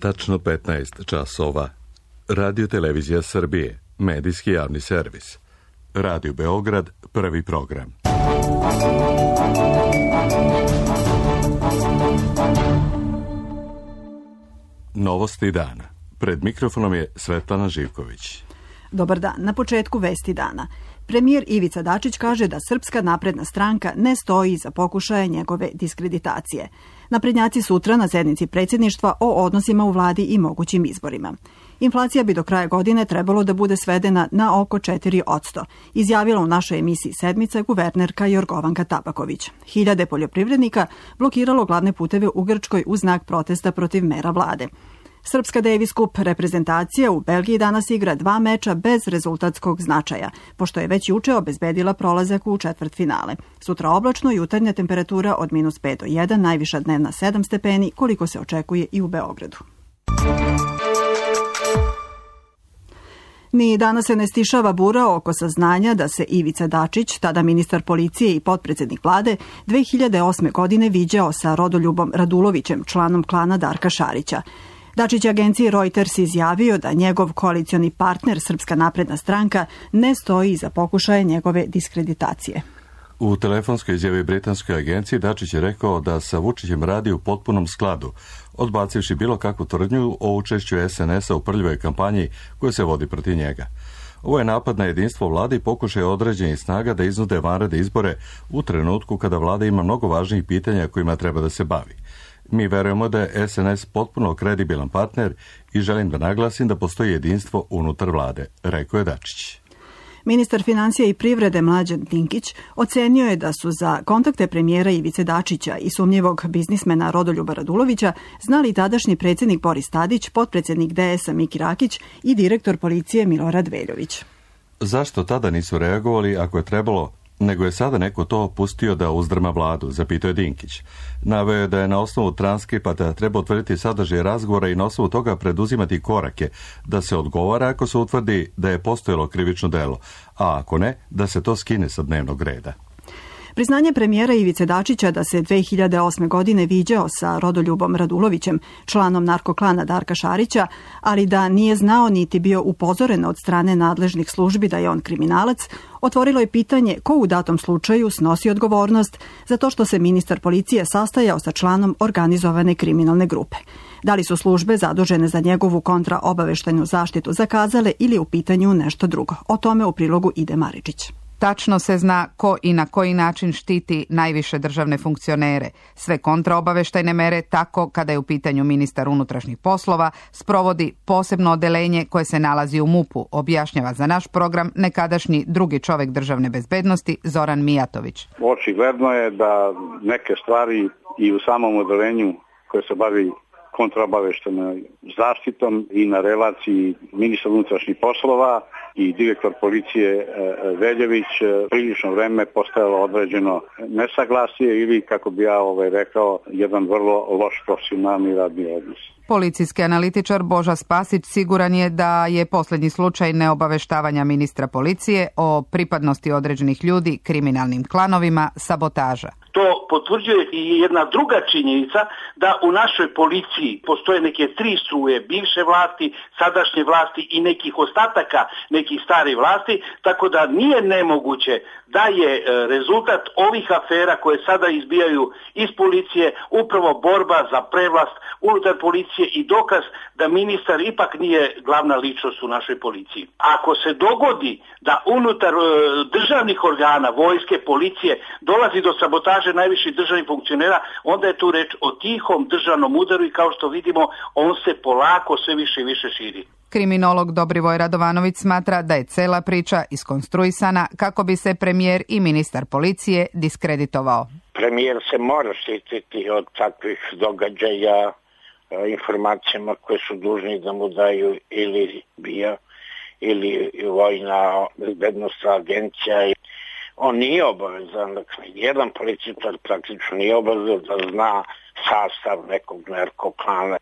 tačno 15 časova. Radio Televizija Srbije, medijski javni servis. Radio Beograd, prvi program. Novosti dana. Pred mikrofonom je Svetlana Živković. Dobar dan. Na početku vesti dana. Premijer Ivica Dačić kaže da Srpska napredna stranka ne stoji iza pokušaja njegove diskreditacije. Naprednjaci sutra na sednici predsjedništva o odnosima u vladi i mogućim izborima. Inflacija bi do kraja godine trebalo da bude svedena na oko 4%, izjavila u našoj emisiji Sedmica guvernerka Jorgovanka Tabaković. Hiljade poljoprivrednika blokiralo glavne puteve u Grčkoj u znak protesta protiv mera vlade. Srpska Davis Cup reprezentacija u Belgiji danas igra 2 meča bez rezultatskog značaja, pošto je već juče obezbedila prolazak u četvrtfinale. Sutra oblačno, jutarnja temperatura od -5 do 1, najviša dnevna 7 stepeni, koliko se očekuje i u Beogradu. Ni danas se ne stišava bura oko saznanja da se Ivica Dačić, tada ministar policije i potpredsjednik vlade, 2008. godine viđao sa Rodoljubom Radulovićem, članom klana Darka Šarića. Dačić je agenciji Reuters izjavio da njegov koalicioni partner Srpska napredna stranka ne stoji iza pokušaja njegove diskreditacije. U telefonskoj izjavi britanskoj agenciji Dačić je rekao da sa Vučićem radi u potpunom skladu, odbacivši bilo kakvu tvrdnju o učešću SNS-a u prljivoj kampanji koja se vodi protiv njega. Ovo je napad na jedinstvo vlade i pokušaj određenih snaga da iznude vanredne izbore u trenutku kada vlada ima mnogo važnijih pitanja kojima treba da se bavi. Mi verujemo da je SNS potpuno kredibilan partner i želim da naglasim da postoji jedinstvo unutar vlade, rekao je Dačić. Ministar financija i privrede Mlađan Dinkić ocenio je da su za kontakte premijera Ivice Dačića i sumnjivog biznismena Rodoljuba Radulovića znali tadašnji predsjednik Boris Tadić, potpredsjednik DS-a Miki Rakić i direktor policije Milorad Veljović. Zašto tada nisu reagovali ako je trebalo, nego je sada neko to pustio da uzdrma vladu, zapitao je Dinkić. Naveo je da je na osnovu transkripata treba utvrditi sadržaj razgovora i na osnovu toga preduzimati korake, da se odgovara ako se utvrdi da je postojalo krivično delo, a ako ne, da se to skine sa dnevnog reda. Priznanje premijera Ivice Dačića da se 2008. godine viđao sa Rodoljubom Radulovićem, članom narkoklana Darka Šarića, ali da nije znao niti bio upozoren od strane nadležnih službi da je on kriminalac, otvorilo je pitanje ko u datom slučaju snosi odgovornost za to što se ministar policije sastajao sa članom organizovane kriminalne grupe. Da li su službe zadužene za njegovu kontraobaveštajnu zaštitu zakazale ili u pitanju nešto drugo? O tome u prilogu Ide Maričić. Tačno se zna ko i na koji način štiti najviše državne funkcionere. Sve kontraobaveštajne mere, tako kada je u pitanju ministar unutrašnjih poslova, sprovodi posebno odeljenje koje se nalazi u MUP-u, objašnjava za naš program nekadašnji drugi čovjek državne bezbednosti Zoran Mijatović. Očigledno je da neke stvari i u samom odelenju koje se bavi kontraobaveštajnom zaštitom i na relaciji ministar unutrašnjih poslova i direktor policije Veljović prilično vreme postojalo određeno nesaglasje ili, kako bi ja rekao, jedan vrlo loš profesionalni radni odnos. Policijski analitičar Boža Spasić siguran je da je posljednji slučaj neobaveštavanja ministra policije o pripadnosti određenih ljudi kriminalnim klanovima sabotaža. To potvrđuje i jedna druga činjenica da u našoj policiji postoje neke 3 struje, bivše vlasti, sadašnje vlasti i nekih ostataka nekih starih vlasti, tako da nije nemoguće da je rezultat ovih afera koje sada izbijaju iz policije upravo borba za prevlast unutar policije i dokaz da ministar ipak nije glavna ličnost u našoj policiji. Ako se dogodi da unutar državnih organa, vojske, policije dolazi do sabotaže najviših državnih funkcionera, onda je tu reč o tihom državnom udaru i kao što vidimo on se polako sve više i više širi. Kriminolog Dobrivoj Radovanović smatra da je cela priča iskonstruisana kako bi se premijer i ministar policije diskreditovao. Premijer se mora štititi od takvih događaja informacijama koje su dužni da mu daju ili BIA ili vojna bezbednosna agencija. On nije obavezan, dakle, jedan policijar praktično nije obavezan da zna sastav nekog narkoklana.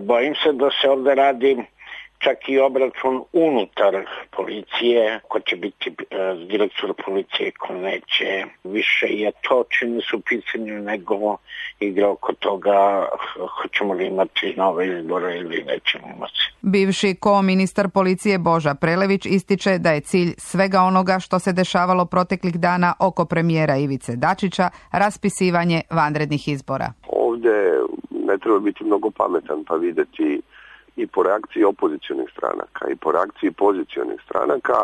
Bojim se da se ovdje radi čak i obračun unutar policije, ko će biti direktor policije, ko neće. Više je to čini su pitanju nego igra oko toga hoćemo li imati nove izbore ili nećemo imati. Bivši ko-ministar policije Boža Prelević ističe da je cilj svega onoga što se dešavalo proteklih dana oko premijera Ivice Dačića raspisivanje vanrednih izbora. Ovdje ne treba biti mnogo pametan pa vidjeti i po reakciji opozicionih stranaka i po reakciji pozicionih stranaka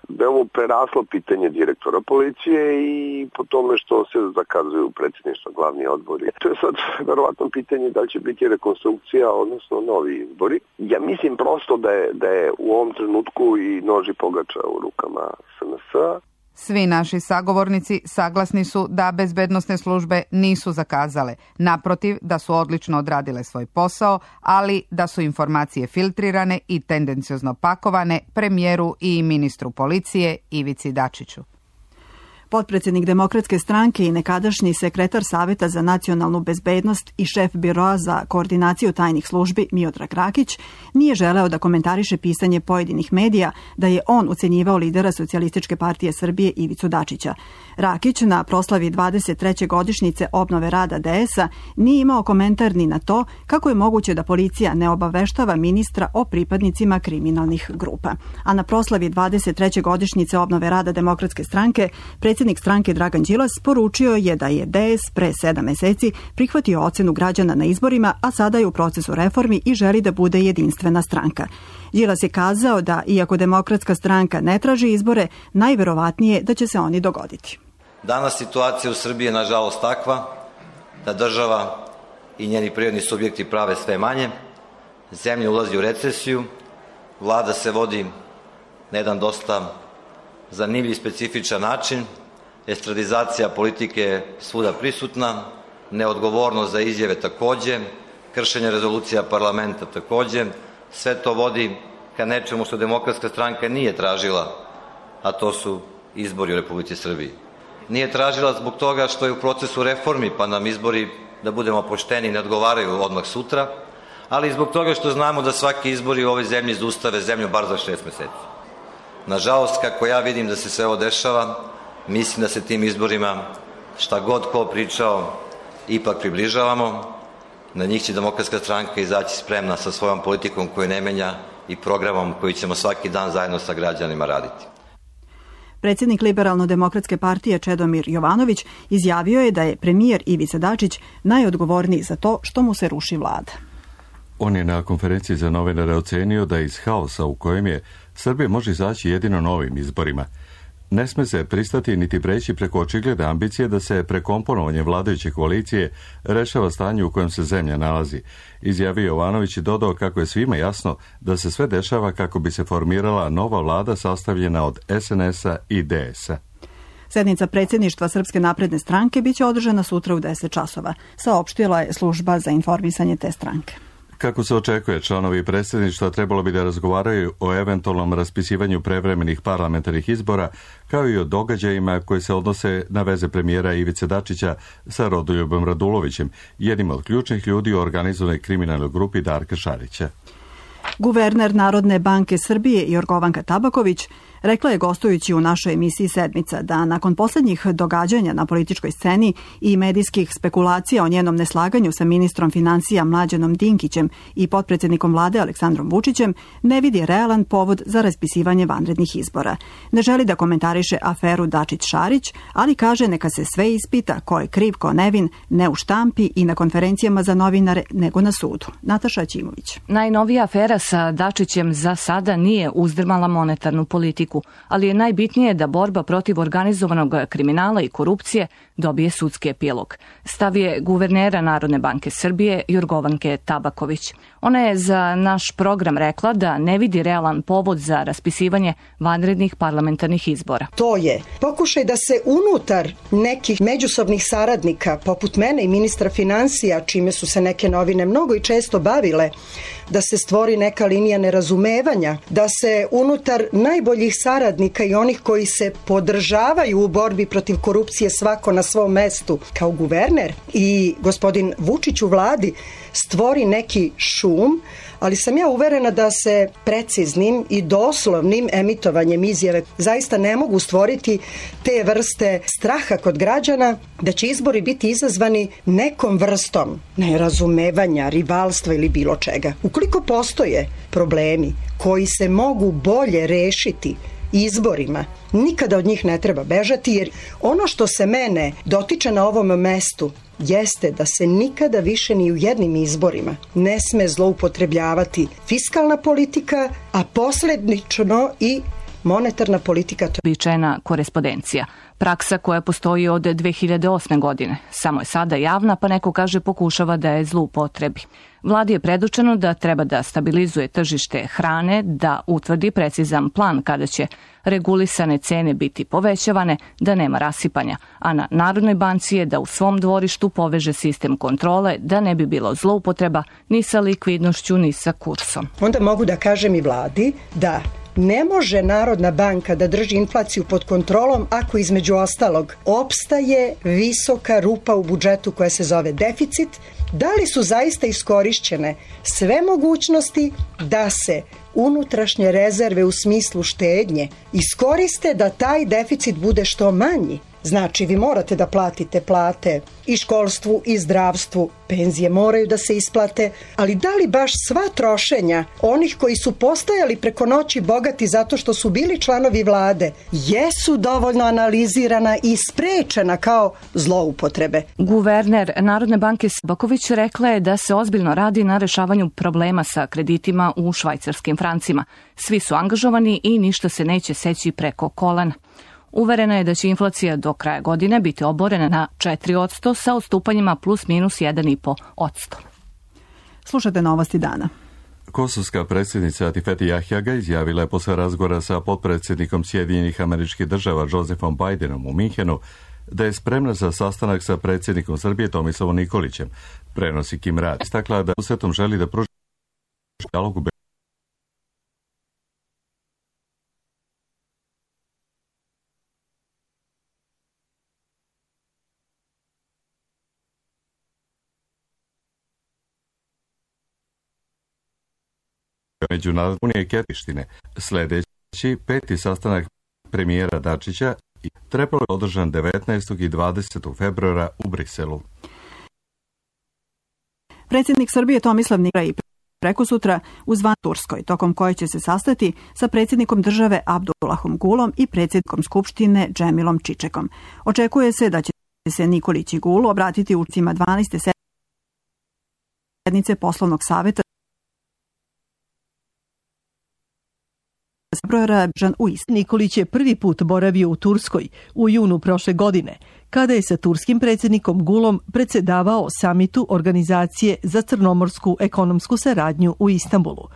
da je ovo preraslo pitanje direktora policije i po tome što se zakazuju predsjedništva, glavni odbori. To je sad verovatno pitanje da li će biti rekonstrukcija, odnosno novi izbori. Ja mislim prosto da je u ovom trenutku i nož i pogača u rukama SNS-a. Svi naši sagovornici saglasni su da bezbednosne službe nisu zakazale. Naprotiv, da su odlično odradile svoj posao, ali da su informacije filtrirane i tendenciozno pakovane premijeru i ministru policije Ivici Dačiću. Potpredsjednik Demokratske stranke i nekadašnji sekretar Saveta za nacionalnu bezbednost i šef biroa za koordinaciju tajnih službi Miodrag Rakić nije želeo da komentariše pisanje pojedinih medija da je on ucenjivao lidera Socijalističke partije Srbije Ivicu Dačića. Rakić na proslavi 23. godišnjice obnove rada DS-a nije imao komentar ni na to kako je moguće da policija ne obaveštava ministra o pripadnicima kriminalnih grupa. A na proslavi 23. godišnjice obnove rada Demokratske stranke predsjednik stranke Dragan Đilas poručio je da je DS pre 7 meseci prihvatio ocenu građana na izborima, a sada je u procesu reformi i želi da bude jedinstvena stranka. Đilas je kazao da, iako Demokratska stranka ne traži izbore, najverovatnije da će se oni dogoditi. Danas situacija u Srbiji je nažalost takva da država i njeni privredni subjekti prave sve manje, zemlja ulazi u recesiju, vlada se vodi na jedan dosta zanimljiv i specifičan način, estradizacija politike je svuda prisutna, neodgovornost za izjave takođe, kršenje rezolucija parlamenta takođe, sve to vodi ka nečemu što Demokratska stranka nije tražila, a to su izbori u Republici Srbiji. Nije tražila zbog toga što je u procesu reformi, pa nam izbori, da budemo pošteni, ne odgovaraju odmah sutra, ali zbog toga što znamo da svaki izbori u ovoj zemlji zaustave zemlju bar za 6 meseci. Nažalost, kako ja vidim da se sve ovo dešava, mislim da se tim izborima, šta god ko pričao, ipak približavamo. Na njih će Demokratska stranka izaći spremna sa svojom politikom koju ne menja i programom koji ćemo svaki dan zajedno sa građanima raditi. Predsjednik Liberalno-demokratske partije Čedomir Jovanović izjavio je da je premijer Ivica Dačić najodgovorniji za to što mu se ruši vlada. On je na konferenciji za novinare ocenio da iz haosa u kojem je Srbija može izaći jedino novim izborima. Ne sme se pristati niti preći preko očigledne ambicije da se prekomponovanje vladajuće koalicije rešava stanje u kojem se zemlja nalazi. Izjavio Jovanović i dodao kako je svima jasno da se sve dešava kako bi se formirala nova vlada sastavljena od SNS-a i DS-a. Sednica predsjedništva Srpske napredne stranke biće održana sutra u 10 časova, saopštila je služba za informisanje te stranke. Kako se očekuje, članovi predsjedništva trebalo bi da razgovaraju o eventualnom raspisivanju prevremenih parlamentarnih izbora, kao i o događajima koji se odnose na veze premijera Ivice Dačića sa Rodoljubom Radulovićem, jednim od ključnih ljudi u organizovanoj kriminalnoj grupi Darka Šarića. Guverner Narodne banke Srbije Jorgovanka Tabaković rekla je gostujući u našoj emisiji Sedmica da nakon posljednjih događanja na političkoj sceni i medijskih spekulacija o njenom neslaganju sa ministrom financija Mlađanom Dinkićem i potpredsjednikom vlade Aleksandrom Vučićem ne vidi realan povod za raspisivanje vanrednih izbora. Ne želi da komentariše aferu Dačić-Šarić, ali kaže neka se sve ispita ko je kriv, ko nevin, ne u štampi i na konferencijama za novinare, nego na sudu. Nataša Aćimović. Najnovija afera sa Dačićem za sada nije uzdrmala monetarnu politiku, ali je najbitnije da borba protiv organizovanog kriminala i korupcije dobije sudski epilog. Stav je guvernera Narodne banke Srbije Jorgovanke Tabaković. Ona je za naš program rekla da ne vidi realan povod za raspisivanje vanrednih parlamentarnih izbora. To je pokušaj da se unutar nekih međusobnih saradnika, poput mene i ministra financija, čime su se neke novine mnogo i često bavile, da se stvori neka linija nerazumevanja, da se unutar najboljih saradnika i onih koji se podržavaju u borbi protiv korupcije svako na svom mestu kao guverner i gospodin Vučić u vladi stvori neki šum, ali sam ja uverena da se preciznim i doslovnim emitovanjem izjave zaista ne mogu stvoriti te vrste straha kod građana da će izbori biti izazvani nekom vrstom nerazumevanja, rivalstva ili bilo čega. Ukoliko postoje problemi koji se mogu bolje rešiti izborima, nikada od njih ne treba bežati, jer ono što se mene dotiče na ovom mestu jeste da se nikada više ni u jednim izborima ne sme zloupotrebljavati fiskalna politika, a posljedično i monetarna politika. Uobičajena korespondencija. Praksa koja postoji od 2008. godine. Samo je sada javna, pa neko kaže pokušava da je zloupotrebi. Vladi je predočeno da treba da stabilizuje tržište hrane, da utvrdi precizan plan kada će regulisane cene biti povećavane, da nema rasipanja, a na Narodnoj banci je da u svom dvorištu poveže sistem kontrole, da ne bi bilo zloupotreba ni sa likvidnošću, ni sa kursom. Onda mogu da kažem i vladi da ne može Narodna banka da drži inflaciju pod kontrolom ako između ostalog opstaje visoka rupa u budžetu koja se zove deficit. Da li su zaista iskorišćene sve mogućnosti da se unutrašnje rezerve u smislu štednje iskoriste da taj deficit bude što manji? Znači, vi morate da platite plate i školstvu i zdravstvu, penzije moraju da se isplate, ali da li baš sva trošenja onih koji su postajali preko noći bogati zato što su bili članovi vlade jesu dovoljno analizirana i sprečena kao zloupotrebe? Guverner Narodne banke Baković rekla je da se ozbiljno radi na rešavanju problema sa kreditima u švajcarskim francima. Svi su angažovani i ništa se neće seći preko kolena. Uverena je da će inflacija do kraja godine biti oborena na 4% sa odstupanjima plus minus 1,5%. Slušate novosti dana. Kosovska predsjednica Atifete Jahjaga izjavila je posle razgovora sa potpredsjednikom Sjedinjenih Američkih Država Josefom Bidenom u Minhenu da je spremna za sastanak sa predsjednikom Srbije Tomislavom Nikolićem. Prenosi Kim Rad. Istakla da usetom želi da pruži dijalog u Međunarodne unije Prištine. Sljedeći 5. sastanak premijera Dačića trebalo je održan 19. i 20. februara u Briselu. Predsjednik Srbije Tomislav Nikolić prekosutra u Zvan Turskoj, tokom koje će se sastati sa predsjednikom države Abdullahom Gulom i predsjednikom Skupštine Džemilom Čičekom. Očekuje se da će se Nikolić i Gul obratiti učesnicima 12. sednice poslovnog saveta Nikolić je prvi put boravio u Turskoj u junu prošle godine, kada je sa turskim predsjednikom Gulom predsjedavao samitu Organizacije za crnomorsku ekonomsku saradnju u Istanbulu.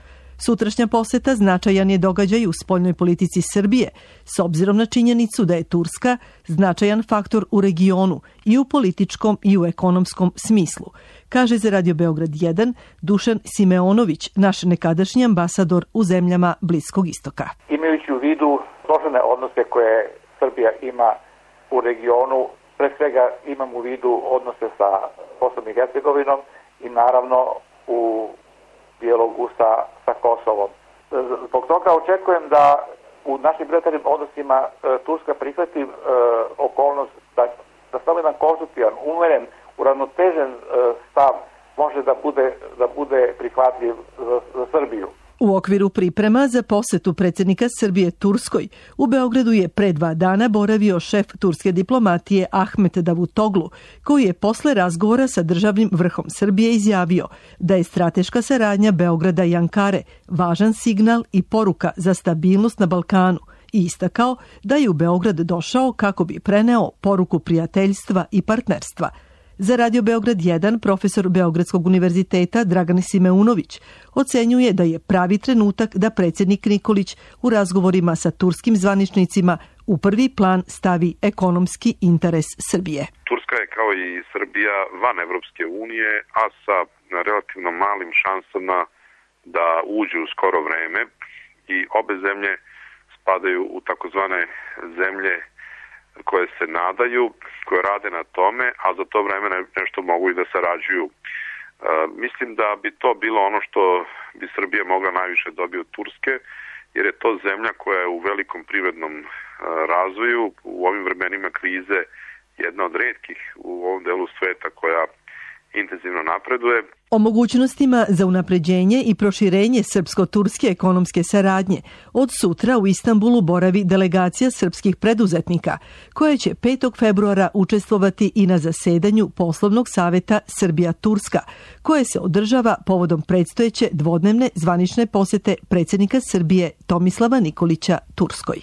Sutrašnja poseta značajan je događaj u spoljnoj politici Srbije, s obzirom na činjenicu da je Turska značajan faktor u regionu i u političkom i u ekonomskom smislu, kaže za Radio Beograd 1 Dušan Simeonović, naš nekadašnji ambasador u zemljama Bliskog istoka. Imajući u vidu složene odnose koje Srbija ima u regionu, pre svega imam u vidu odnose sa Bosnom i Hercegovinom i naravno u dijalogu sa Kosovom. Zbog toga očekujem da u našim bilateralnim odnosima Turska prihvati okolnost da samo jedan konstruktivan, umeren, uravnotežen stav može da bude prihvatljiv za Srbiju. U okviru priprema za posetu predsjednika Srbije Turskoj, u Beogradu je pre 2 dana boravio šef turske diplomatije Ahmet Davutoglu, koji je posle razgovora sa državnim vrhom Srbije izjavio da je strateška saradnja Beograda i Ankare važan signal i poruka za stabilnost na Balkanu i istakao da je u Beograd došao kako bi preneo poruku prijateljstva i partnerstva. Za Radio Beograd 1 profesor Beogradskog univerziteta Dragan Simeunović ocenjuje da je pravi trenutak da predsjednik Nikolić u razgovorima sa turskim zvaničnicima u prvi plan stavi ekonomski interes Srbije. Turska je kao i Srbija van Evropske unije, a sa relativno malim šansama da uđe u skoro vreme i obe zemlje spadaju u takozvane zemlje koje se nadaju, koje rade na tome, a za to vreme nešto mogu i da sarađuju Mislim da bi to bilo ono što bi Srbija mogla najviše dobiti od Turske, jer je to zemlja koja je u velikom privrednom razvoju, u ovim vremenima krize jedna od retkih u ovom delu sveta koja intenzivno napreduje. O mogućnostima za unapređenje i proširenje srpsko-turske ekonomske saradnje od sutra u Istanbulu boravi delegacija srpskih preduzetnika, koja će 5. februara učestvovati i na zasedanju poslovnog saveta Srbija-Turska, koje se održava povodom predstojeće dvodnevne zvanične posete predsjednika Srbije Tomislava Nikolića Turskoj.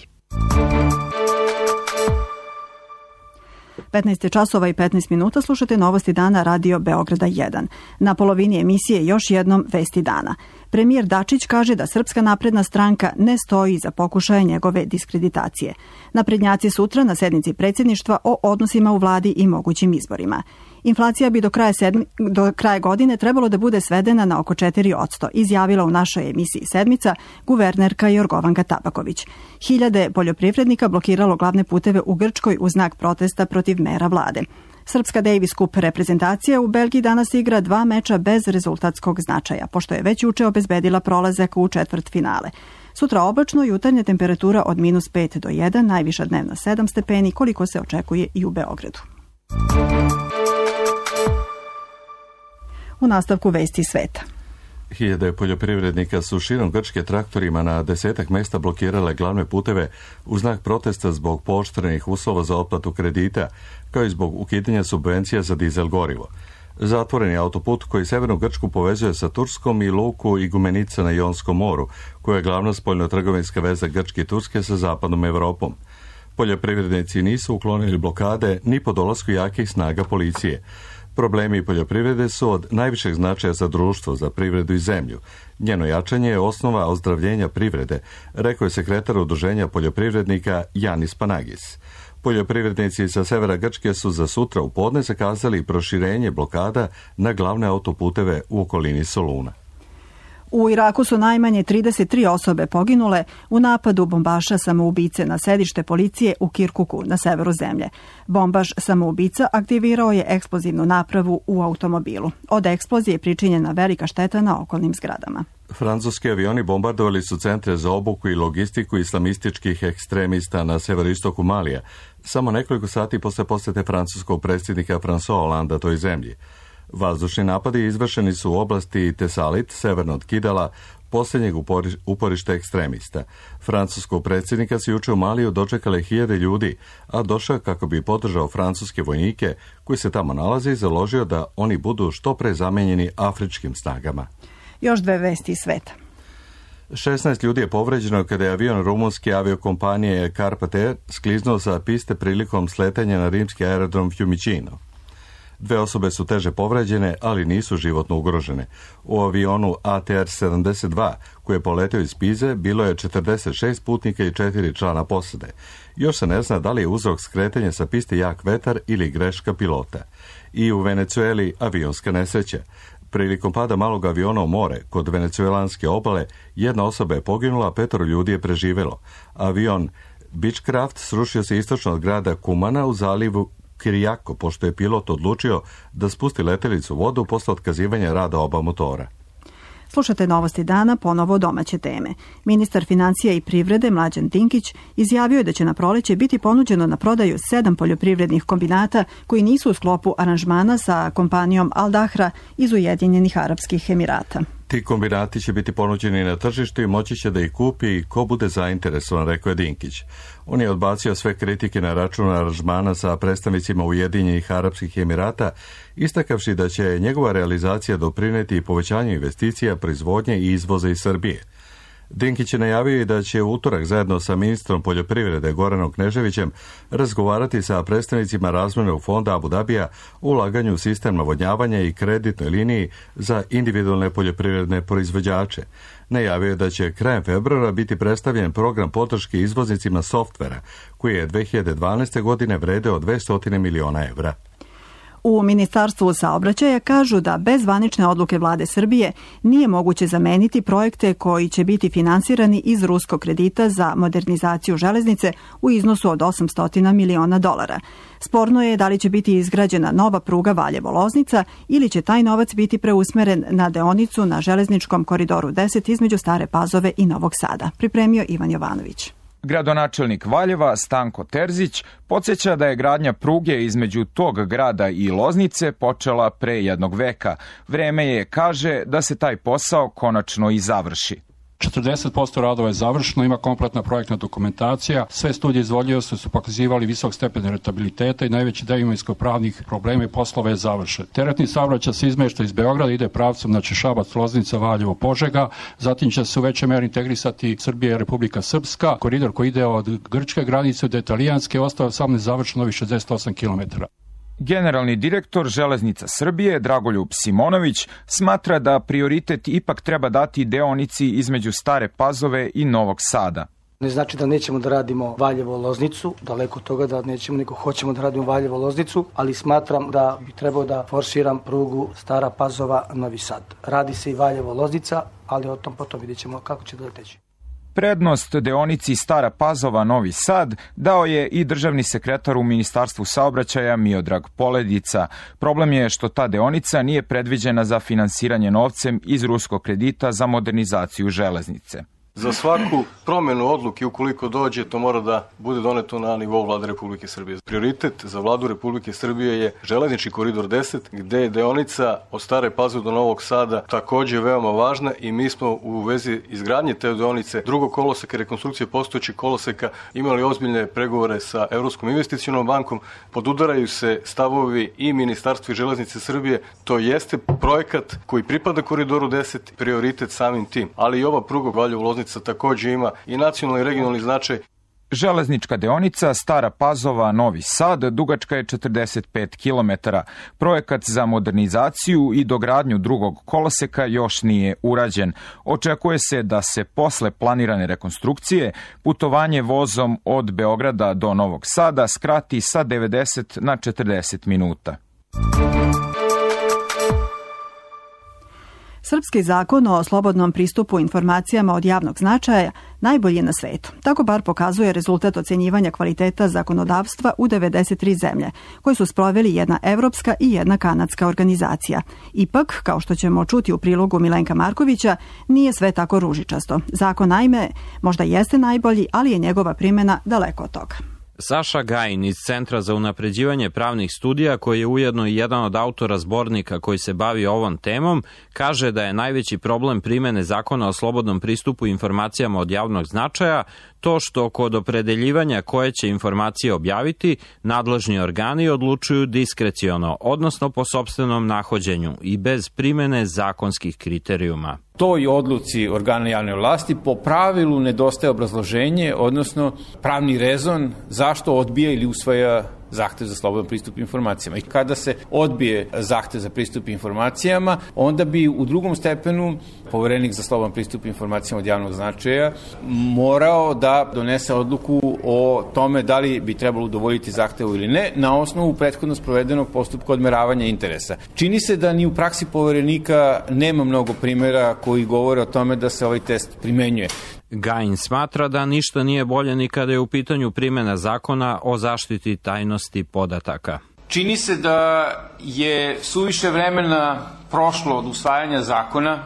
15 časova i 15 minuta slušate novosti dana Radio Beograda 1. Na polovini emisije još jednom vesti dana. Premijer Dačić kaže da Srpska napredna stranka ne stoji iza pokušaja njegove diskreditacije. Naprednjaci sutra na sednici predsjedništva o odnosima u vladi i mogućim izborima. Inflacija bi do kraja godine trebalo da bude svedena na oko 4%, izjavila u našoj emisiji Sedmica guvernerka Jorgovanka Tabaković. Hiljade poljoprivrednika blokiralo glavne puteve u Grčkoj u znak protesta protiv mera vlade. Srpska Davis Cup reprezentacija u Belgiji danas igra 2 meča bez rezultatskog značaja, pošto je već juče obezbedila prolazak u četvrtfinale. Sutra oblačno, jutarnja temperatura od -5 do 1, najviša dnevna 7 stepeni, koliko se očekuje i u Beogradu. U nastavku vesti sveta. Hiljade poljoprivrednika su širom Grčke traktorima na 10 mjesta blokirale glavne puteve u znak protesta zbog pooštrenih uslova za otplatu kredita, kao i zbog ukidanja subvencija za dizel gorivo. Zatvoreni autoput koji severnu Grčku povezuje sa Turskom i luku Igumenica na Jonskom moru, koja je glavna spoljnotrgovinska veza Grčke i Turske sa zapadnom Evropom. Poljoprivrednici nisu uklonili blokade ni po dolasku jakih snaga policije. Problemi poljoprivrede su od najvišeg značaja za društvo, za privredu i zemlju. Njeno jačanje je osnova ozdravljenja privrede, rekao je sekretar udruženja poljoprivrednika Janis Panagis. Poljoprivrednici sa severa Grčke su za sutra u podne zakazali proširenje blokada na glavne autoputeve u okolini Soluna. U Iraku su najmanje 33 osobe poginule u napadu bombaša samoubice na sedište policije u Kirkuku na severu zemlje. Bombaš samoubica aktivirao je eksplozivnu napravu u automobilu. Od eksplozije je pričinjena velika šteta na okolnim zgradama. Francuski avioni bombardovali su centre za obuku i logistiku islamističkih ekstremista na severoistoku Malija, samo nekoliko sati posle posete francuskog predsjednika François Hollanda toj zemlji. Vazdušni napadi izvršeni su u oblasti Tesalit, severno od Kidala, posljednjeg uporišta ekstremista. Francuskog predsjednika su juče u Maliju dočekale hiljade ljudi, a došao kako bi podržao francuske vojnike koji se tamo nalaze i založio da oni budu što pre zamenjeni afričkim snagama. Još 2 vesti iz sveta. 16 ljudi je povređeno kada je avion rumunske aviokompanije Carpathia skliznuo sa piste prilikom sletanja na rimski aerodrom Fiumicino. 2 osobe su teže povređene, ali nisu životno ugrožene. U avionu ATR-72, koji je poletio iz Pize, bilo je 46 putnika i 4 člana posade. Još se ne zna da li je uzrok skretanja sa piste jak vetar ili greška pilota. I u Venecueli avionska nesreća. Prilikom pada malog aviona u more, kod venecuelanske obale, 1 osoba je poginula, a 5 ljudi je preživjelo. Avion Beechcraft srušio se istočno od grada Kumana u zalivu Kirijako, pošto je pilot odlučio da spusti letelicu u vodu posle otkazivanja rada oba motora. Slušate novosti dana, ponovo domaće teme. Ministar financija i privrede Mlađan Dinkić izjavio je da će na proleće biti ponuđeno na prodaju 7 poljoprivrednih kombinata koji nisu u sklopu aranžmana sa kompanijom Al Dahra iz Ujedinjenih Arapskih Emirata. Ti kombinati će biti ponuđeni na tržištu i moći će da ih kupi ko bude zainteresovan, rekao je Dinkić. On je odbacio sve kritike na račun aranžmana sa predstavnicima Ujedinjenih Arapskih Emirata, istakavši da će njegova realizacija doprineti povećanju investicija, proizvodnje i izvoza iz Srbije. Dinkić je najavio i da će u utorak zajedno sa ministrom poljoprivrede Goranom Kneževićem razgovarati sa predstavnicima Razvojnog fonda Abu Dabija o ulaganju u sistem navodnjavanja i kreditnoj liniji za individualne poljoprivredne proizvođače. Najavio je da će krajem februara biti predstavljen program podrške izvoznicima softvera, koji je 2012. godine vredeo 200 miliona evra. U Ministarstvu saobraćaja kažu da bez zvanične odluke vlade Srbije nije moguće zameniti projekte koji će biti finansirani iz ruskog kredita za modernizaciju železnice u iznosu od $800 miliona. Sporno je da li će biti izgrađena nova pruga Valjevo-Loznica ili će taj novac biti preusmeren na deonicu na železničkom koridoru 10 između Stare Pazove i Novog Sada. Pripremio Ivan Jovanović. Gradonačelnik Valjeva Stanko Terzić podsjeća da je gradnja pruge između tog grada i Loznice počela pre 1 veka. Vreme je, kaže, da se taj posao konačno i završi. 40% radova je završeno, ima kompletna projektna dokumentacija, sve studije izvodljivosti su pokazivali visok stepen rentabiliteta i najveći deo imovinsko-pravnih problema i poslova je završen. Teretni saobraćaj se izmešta iz Beograda, ide pravcem znači Šabac, Loznica, Valjevo, Požega, zatim će se u većoj meri integrisati Srbija i Republika Srpska, koridor koji ide od grčke granice do italijanske, ostao sam nezavršeno novih 68 km. Generalni direktor Železnica Srbije Dragoljub Simonović smatra da prioritet ipak treba dati deonici između Stare Pazove i Novog Sada. Ne znači da nećemo da radimo Valjevo-Loznicu, daleko od toga da nećemo, nego hoćemo da radimo Valjevo-Loznicu, ali smatram da bi trebao da forsiram prugu Stara Pazova-Novi Sad. Radi se i Valjevo-Loznica, ali o tom potom vidjet ćemo kako će da teći. Prednost deonici Stara Pazova-Novi Sad dao je i državni sekretar u Ministarstvu saobraćaja Miodrag Poledica. Problem je što ta deonica nije predviđena za finansiranje novcem iz ruskog kredita za modernizaciju železnice. Za svaku promjenu odluke, ukoliko dođe, to mora da bude doneto na nivou Vlade Republike Srbije. Prioritet za Vladu Republike Srbije je železnički koridor 10, gde je deonica od Stare Pazove do Novog Sada takođe veoma važna i mi smo u vezi izgradnje te deonice drugog koloseka, rekonstrukcije postojećih koloseka, imali ozbiljne pregovore sa Evropskom investicionom bankom. Podudaraju se stavovi i Ministarstva i Železnice Srbije. To jeste projekat koji pripada koridoru 10, prioritet samim tim. Ali i ova pruga Valjevo-Loznica takođe ima i nacionalni i regionalni značaj. Železnička deonica Stara Pazova-Novi Sad dugačka je 45 km. Projekat za modernizaciju i dogradnju drugog koloseka još nije urađen. Očekuje se da se posle planirane rekonstrukcije putovanje vozom od Beograda do Novog Sada skrati sa 90 na 40 minuta. Srpski zakon o slobodnom pristupu informacijama od javnog značaja najbolji je na svetu. Tako bar pokazuje rezultat ocenjivanja kvaliteta zakonodavstva u 93 zemlje, koje su sproveli jedna evropska i jedna kanadska organizacija. Ipak, kao što ćemo čuti u prilogu Milenka Markovića, nije sve tako ružičasto. Zakon naime možda jeste najbolji, ali je njegova primjena daleko od toga. Saša Gajin iz Centra za unapređivanje pravnih studija, koji je ujedno i jedan od autora zbornika koji se bavi ovom temom, kaže da je najveći problem primene zakona o slobodnom pristupu informacijama od javnog značaja to što kod opredeljivanja koje će informacije objaviti, nadležni organi odlučuju diskreciono, odnosno po sopstvenom nahođenju i bez primene zakonskih kriterijuma. Toj odluci organa javne vlasti po pravilu nedostaje obrazloženje, odnosno pravni rezon zašto odbija ili usvaja zahtev za slobodan pristup informacijama. I kada se odbije zahtev za pristup informacijama, onda bi u drugom stepenu poverenik za slobodan pristup informacijama od javnog značaja morao da donese odluku o tome da li bi trebalo udovoljiti zahtevu ili ne, na osnovu prethodno sprovedenog postupka odmeravanja interesa. Čini se da ni u praksi poverenika nema mnogo primjera koji govore o tome da se ovaj test primenjuje. Gajin smatra da ništa nije bolje ni kada je u pitanju primjena zakona o zaštiti tajnosti podataka. Čini se da je suviše vremena prošlo od usvajanja zakona,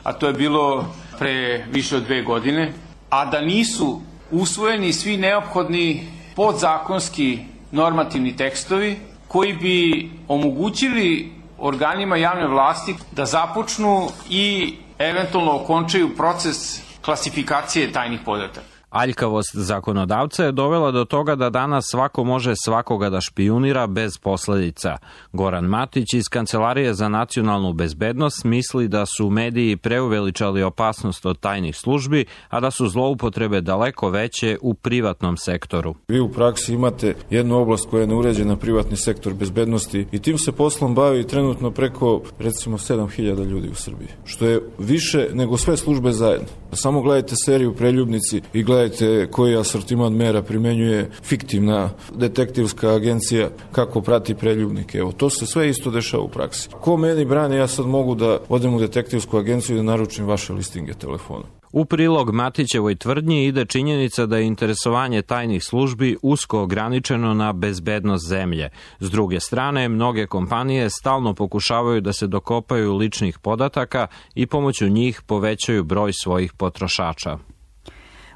a to je bilo pre više od 2 godine, a da nisu usvojeni svi neophodni podzakonski normativni tekstovi koji bi omogućili organima javne vlasti da započnu i eventualno okončaju proces klasifikacije tajnih podataka. Aljkavost zakonodavca je dovela do toga da danas svako može svakoga da špijunira bez posledica. Goran Matić iz Kancelarije za nacionalnu bezbednost misli da su mediji preuveličali opasnost od tajnih službi, a da su zloupotrebe daleko veće u privatnom sektoru. Vi u praksi imate jednu oblast koja je neuređena, privatni sektor bezbednosti, i tim se poslom bavi trenutno preko recimo 7000 ljudi u Srbiji, što je više nego sve službe zajedno. Samo gledajte seriju Preljubnici i gledajte koji asortiman mera primenjuje fiktivna detektivska agencija kako prati preljubnike. Evo, to se sve isto dešava u praksi. Ko meni brani, ja sad mogu da odem u detektivsku agenciju i da naručim vaše listinge telefona. U prilog Matićevoj tvrdnji ide činjenica da je interesovanje tajnih službi usko ograničeno na bezbednost zemlje. S druge strane, mnoge kompanije stalno pokušavaju da se dokopaju ličnih podataka i pomoću njih povećaju broj svojih potrošača.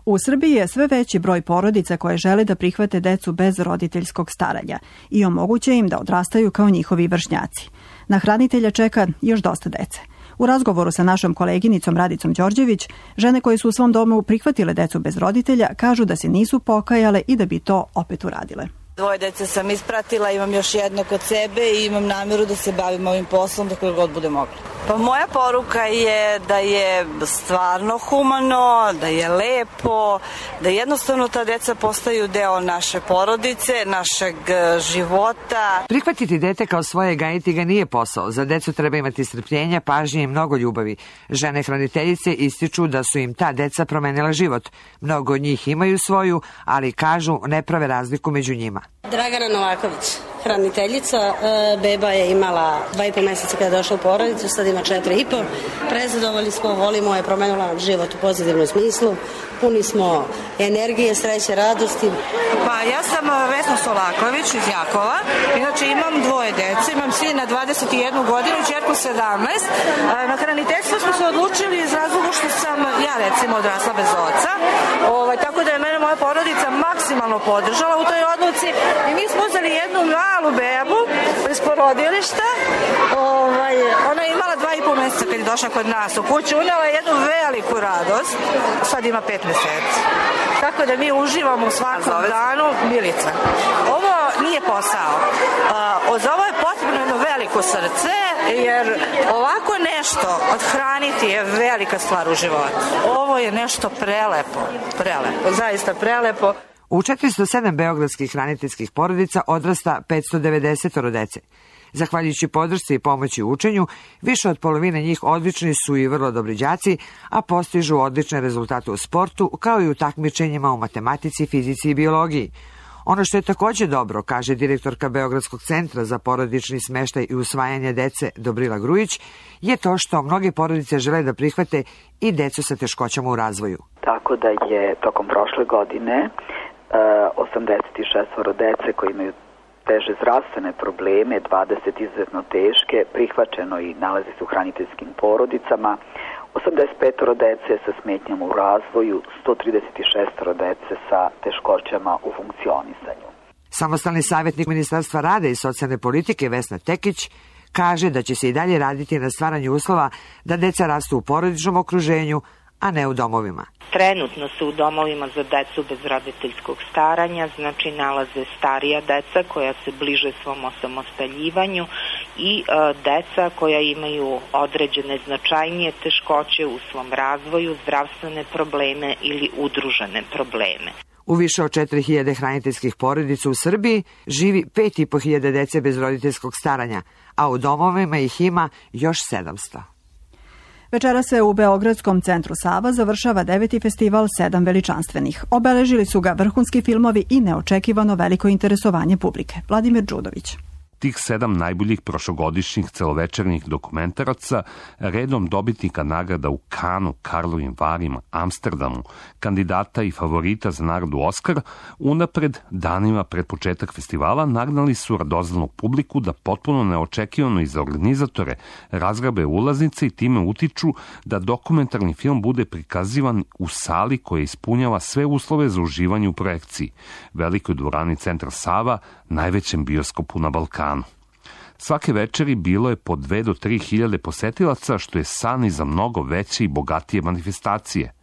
U Srbiji je sve veći broj porodica koje žele da prihvate decu bez roditeljskog staranja i omoguće im da odrastaju kao njihovi vršnjaci. Na hranitelja čeka još dosta dece. U razgovoru sa našom koleginicom Radicom Đorđević, žene koje su u svom domu prihvatile decu bez roditelja kažu da se nisu pokajale i da bi to opet uradile. 2 dece sam ispratila, imam još jedno kod sebe i imam nameru da se bavim ovim poslom dok god bude mogla. Pa moja poruka je da je stvarno humano, da je lepo, da jednostavno ta deca postaju deo naše porodice, našeg života. Prihvatiti dete kao svoje i gajiti ga nije posao. Za decu treba imati strpljenja, pažnje i mnogo ljubavi. Žene hraniteljice ističu da su im ta deca promenila život. Mnogo od njih imaju svoju, ali kažu ne prave razliku među njima. Dragana Novaković, hraniteljica, beba je imala 2,5 meseca kada je došla u porodicu, sad ima 4,5. Prezadovoljni smo, volimo je, promenila život u pozitivnom smislu, puni smo energije, sreće, radosti. Pa ja sam Vesna Solaković iz Jakova, inače imam 2 dece, imam sina 21 godinu, ćerku 17. Na hraniteljstvo smo se odlučili iz razloga što sam ja recimo odrasla bez oca, tako da je mene moja porodica maksimalno podržala u toj odluci i mi smo uzeli jednu malu bebu iz porodilišta. Ona je imala 2,5 meseca kad je došla kod nas u kuću, unela jednu veliku radost, sad ima 5 meseci. Tako da mi uživamo u svakom danu. Milica. Ovo nije posao. Za ovo je potrebno jedno veliko srce, jer ovako nešto odhraniti je velika stvar u životu. Ovo je nešto prelepo, zaista prelepo. U 407 beogradskih hraniteljskih porodica odrasta 590 dece. Zahvaljujući podršci i pomoći u učenju, više od polovine njih odlični su i vrlo dobri đaci, a postižu odlične rezultate u sportu, kao i u takmičenjima u matematici, fizici i biologiji. Ono što je takođe dobro, kaže direktorka Beogradskog centra za porodični smeštaj i usvajanje dece Dobrila Grujić, je to što mnoge porodice žele da prihvate i decu sa teškoćama u razvoju. Tako da je tokom prošle godine 86 dece koji imaju teže zdravstvene probleme, 20 izuzetno teške, prihvaćeno i nalazi se u hraniteljskim porodicama, 85 dece sa smetnjama u razvoju, 136 dece sa teškoćama u funkcionisanju. Samostalni savjetnik Ministarstva rada i socijalne politike Vesna Tekić kaže da će se i dalje raditi na stvaranju uslova da deca rastu u porodičnom okruženju, a ne u domovima. Trenutno se u domovima za decu bez roditeljskog staranja, znači nalaze starija deca koja se bliže svom osamostaljivanju i deca koja imaju određene značajnije teškoće u svom razvoju, zdravstvene probleme ili udružene probleme. U više od 4000 hraniteljskih porodica u Srbiji živi 5500 dece bez roditeljskog staranja, a u domovima ih ima još 700. Večera se u Beogradskom centru Sava završava 9. festival 7 veličanstvenih. Obeležili su ga vrhunski filmovi i neočekivano veliko interesovanje publike. Vladimir Đudović. Tih 7 najboljih prošlogodišnjih celovečernjih dokumentaraca, redom dobitnika nagrada u Kanu, Karlovim Varima, Amsterdamu, kandidata i favorita za nagradu Oskar, unapred, danima pred početak festivala, nagnali su radoznalnu publiku da potpuno neočekivano i za organizatore razgrabe ulaznice i time utiču da dokumentarni film bude prikazivan u sali koja ispunjava sve uslove za uživanje u projekciji, velikoj dvorani Centra Sava, najvećem bioskopu na Balkanu. Svake večeri bilo je po 2 do 3 hiljade posetilaca, što je san i za mnogo veće i bogatije manifestacije.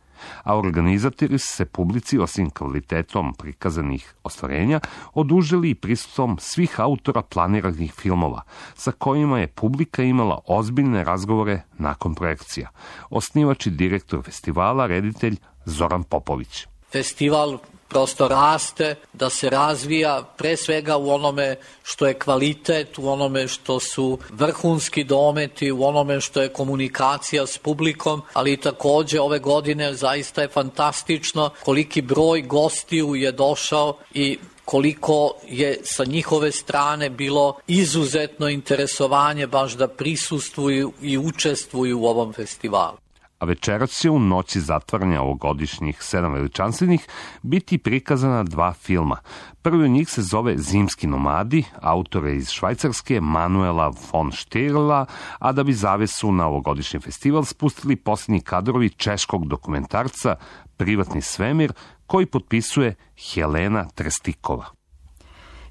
A organizatori su se publici, osim kvalitetom prikazanih ostvarenja, odužili i prisustvom svih autora planiranih filmova, sa kojima je publika imala ozbiljne razgovore nakon projekcija. Osnivač i direktor festivala, reditelj Zoran Popović. Festival prosto raste, da se razvija pre svega u onome što je kvalitet, u onome što su vrhunski dometi, u onome što je komunikacija s publikom, ali takođe ove godine zaista je fantastično koliki broj gostiju je došao i koliko je sa njihove strane bilo izuzetno interesovanje baš da prisustvuju i učestvuju u ovom festivalu. A večeras će u noći zatvaranja ovogodišnjih 7 veličanstvenih biti prikazana 2 filma. Prvi od njih se zove Zimski nomadi, autore iz Švajcarske Manuela von Štirla, a da bi zavesu na ovogodišnji festival spustili posljednji kadrovi češkog dokumentarca Privatni svemir, koji potpisuje Helena Trestikova.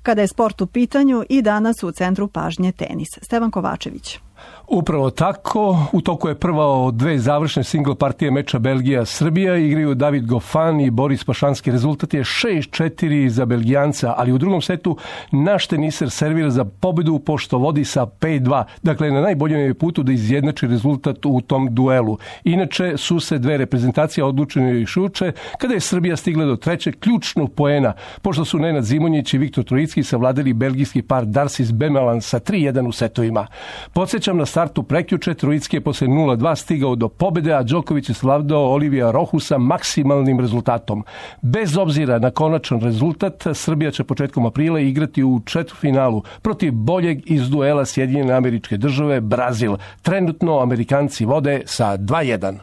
Kada je sport u pitanju, i danas u centru pažnje tenis. Stevan Kovačević. Upravo tako, u toku je prva od 2 završne single partije meča Belgija-Srbija, igraju David Goffin i Boris Pašanski. Rezultat je 6-4 za Belgijanca, ali u drugom setu naš teniser servira za pobedu pošto vodi sa 5-2. Dakle, na najboljem je putu da izjednači rezultat u tom duelu. Inače su se 2 reprezentacije odlučene još juče, kada je Srbija stigla do 3. ključnog poena, pošto su Nenad Zimonjić i Viktor Trojicki savladali belgijski par Darcis Bemelan sa 3-1 u setovima. Podsjećam, na startu prekjuče Trojicki je posle 0-2 stigao do pobede, a Đoković je savladao Olivija Rohusa maksimalnim rezultatom. Bez obzira na konačan rezultat, Srbija će početkom aprila igrati u četvrtfinalu protiv boljeg iz duela Sjedinjene Američke Države, Brazil. Trenutno Amerikanci vode sa 2-1.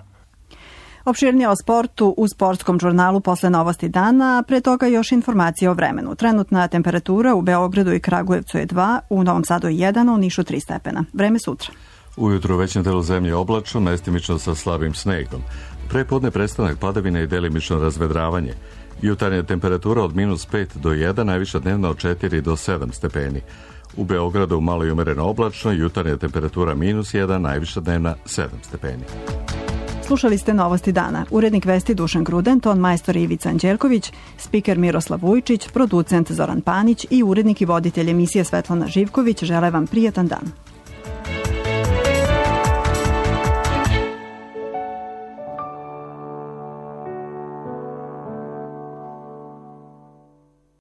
Opširnije o sportu u sportskom žurnalu posle novosti dana, pre toga još informacije o vremenu. Trenutna temperatura u Beogradu i Kragujevcu je 2, u Novom Sadu je 1, u Nišu 3 stepena. Vreme sutra. Ujutro u većem delu zemlje oblačno, mestimično sa slabim snegom. Prepodne prestanak padavine i delimično razvedravanje. Jutarnja temperatura od -5 do 1, najviša dnevna od 4 do 7 stepeni. U Beogradu malo i umereno oblačno, jutarnja temperatura -1, najviša dnevna 7 stepeni. Slušali ste novosti dana. Urednik vesti Dušan Gruden, ton majstor Ivica Anđelković, spiker Miroslav Vujčić, producent Zoran Panić i urednik i voditelj emisije Svetlana Živković žele vam prijatan dan.